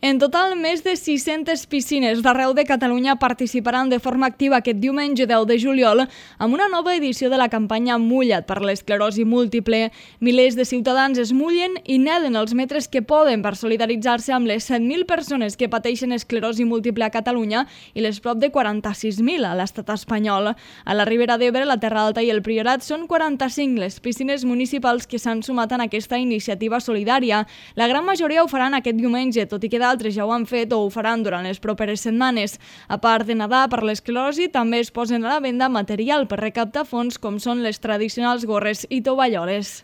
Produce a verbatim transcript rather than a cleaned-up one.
En total, més de sis-centes piscines d'arreu de Catalunya participaran de forma activa aquest diumenge deu de juliol amb una nova edició de la campanya Mulla't per l'esclerosi múltiple. Milers de ciutadans es mullen i neden els metres que poden per solidaritzar-se amb les set mil persones que pateixen esclerosi múltiple a Catalunya i les prop de quaranta-sis mil a l'estat espanyol. A la Ribera d'Ebre, la Terra Alta i el Priorat són quaranta-cinc les piscines municipals que s'han sumat en aquesta iniciativa solidària. La gran majoria ho faran aquest diumenge, tot i que d'altres ja ho han fet o ho faran durant les properes setmanes. A part de nedar per l'esclerosi, també es posen a la venda material per recaptar fons com són les tradicionals gorres i tovalloles.